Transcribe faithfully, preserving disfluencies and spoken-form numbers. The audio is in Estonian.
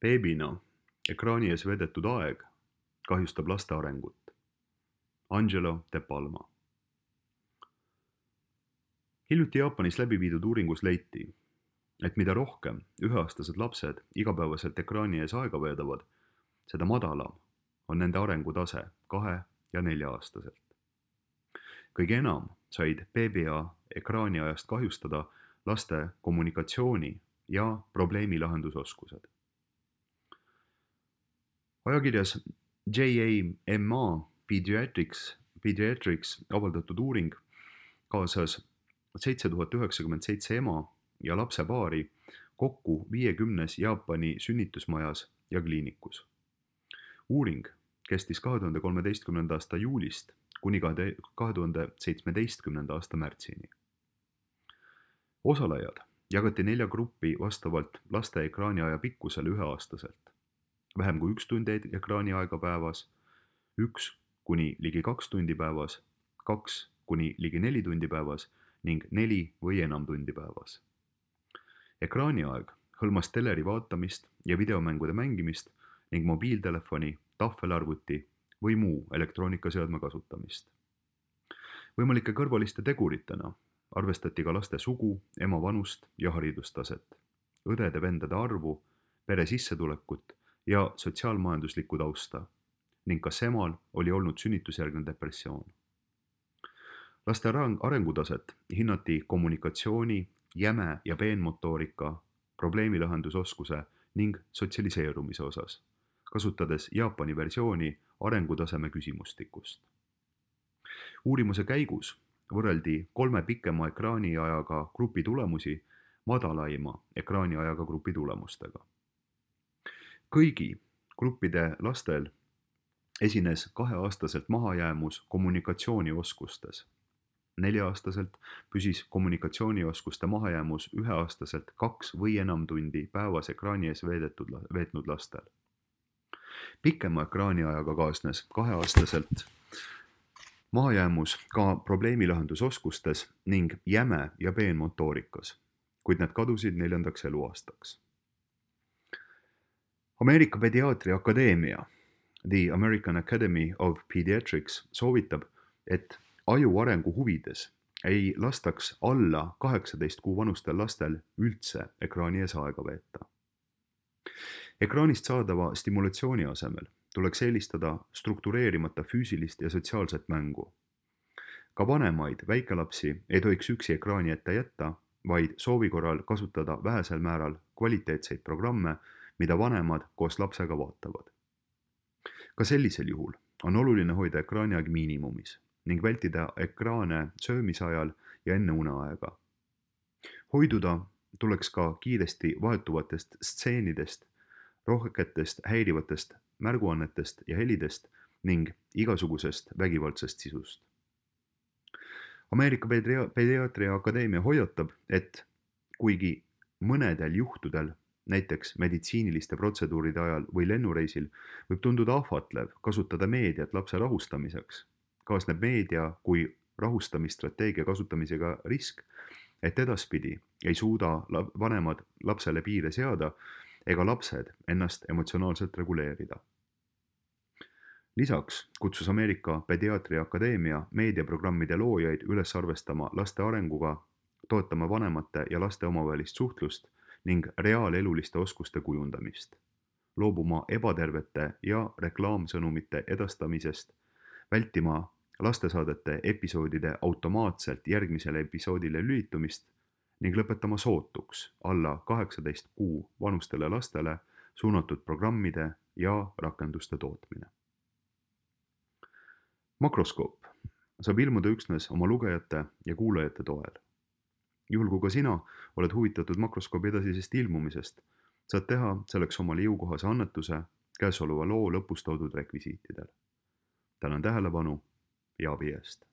Beebina ekraani ees veedetud aeg kahjustab laste arengut. Angelo De Palma. Hiljuti Jaapanis läbi viidud uuringus leiti, et mida rohkem üheaastased lapsed igapäevaselt ekraani ees aega veedavad, seda madalam on nende arengutase kahe- ja nelja-aastaselt. Kõige enam said beebia ekraaniajast kahjustada laste kommunikatsiooni ja probleemilahendusoskused. Ajakirjas J A M A Pediatrics, Pediatrics avaldatud uuring kaasas seitse tuhat üheksakümmend seitse ema ja lapsepaari kokku viiekümnes Jaapani sünnitusmajas ja kliinikus. Uuring kestis kahe tuhande kolmeteistkümnenda aasta juulist kuni kahe tuhande seitsmeteistkümnenda aasta märtsini. Osalejad jagati nelja gruppi vastavalt laste ekraaniaja pikkusele üheaastaselt. Vähem kui üks tund ekraaniaega päevas, üks kuni ligi kaks tundi päevas, kaks kuni ligi neli tundi päevas ning neli või enam tundi päevas. Ekraaniaeg hõlmas teleri vaatamist ja videomängude mängimist ning mobiiltelefoni, tahvelarvuti või muu elektroonikaseadme kasutamist. Võimalike kõrvaliste teguritena arvestati ka laste sugu, ema vanust ja haridustaset, õdede-vendade arvu, pere sissetulekut ja sotsiaalmajanduslikku tausta ning kas emal oli olnud sünnitusjärgne depressioon. Laste arengutaset hinnati kommunikatsiooni, jäme- ja peenmotoorika, probleemilahendusoskuse ning sotsialiseerumise osas, kasutades Jaapani versiooni arengutaseme küsimustikust. Uurimuse käigus võrreldi kolme pikema ekraaniajaga grupi tulemusi madalaima ekraaniajaga grupi tulemustega. Kõigi gruppide lastel esines kaheaastaselt mahajäämus kommunikatsioonioskustes. Nelja-aastaselt püsis kommunikatsioonioskuste mahajäämus üheaastaselt kaks või enam tundi päevas ekraani ees veedetud, veetnud lastel. Pikema ekraaniajaga kaasnes kaheaastaselt mahajäämus ka probleemilahendusoskustes ning jäme- ja peenmotoorikas, kuid need kadusid neljandaks eluaastaks. Ameerika Pediaatria Akadeemia, The American Academy of Pediatrics, soovitab, et aju arengu huvides ei lastaks alla kaheksateist kuu vanustel lastel üldse ekraani ees aega veeta. Ekraanist saadava stimulatsiooni asemel tuleks eelistada struktureerimata füüsilist ja sotsiaalset mängu. Ka vanemaid väikelapsi ei tohiks üksi ekraani ette jätta, vaid soovi korral kasutada vähesel määral kvaliteetseid programme, mida vanemad koos lapsega vaatavad. Ka sellisel juhul on oluline hoida ekraaniaeg miinimumis ning vältida ekraane söömise ajal ja enne uneaega. Hoiduda tuleks ka kiiresti vahetuvatest stseenidest, rohketest häirivatest märguannetest ja helidest ning igasugusest vägivaldsest sisust. Ameerika Pediaatria Akadeemia hoiatab, et kuigi mõnedel juhtudel, näiteks meditsiiniliste protseduuride ajal või lennureisil, võib tunduda ahvatlev kasutada meediat lapse rahustamiseks, kaasneb meedia kui rahustamisstrateegia kasutamisega risk, et edaspidi ei suuda vanemad lapsele piire seada ega lapsed ennast emotsionaalselt reguleerida. Lisaks kutsus Ameerika Pediaatria Akadeemia meediaprogrammide loojaid üles arvestama laste arenguga, toetama vanemate ja laste omavahelist suhtlust ning reaaleluliste oskuste kujundamist, loobuma ebatervete ja reklaamsõnumite edastamisest, vältima lastesaadete episoodide automaatselt järgmisele episoodile lülitumist ning lõpetama sootuks alla kaheksateist kuu vanustele lastele suunatud programmide ja rakenduste tootmine. Makroskoop saab ilmuda üksnes oma lugejate ja kuulajate toel. Juhul kui ka sina oled huvitatud makroskoobi edasisest ilmumisest, saad teha selleks omale jõukohase annetuse käesoleva loo lõpus toodud rekvisiitidel. Tänan tähelepanu ja abi eest.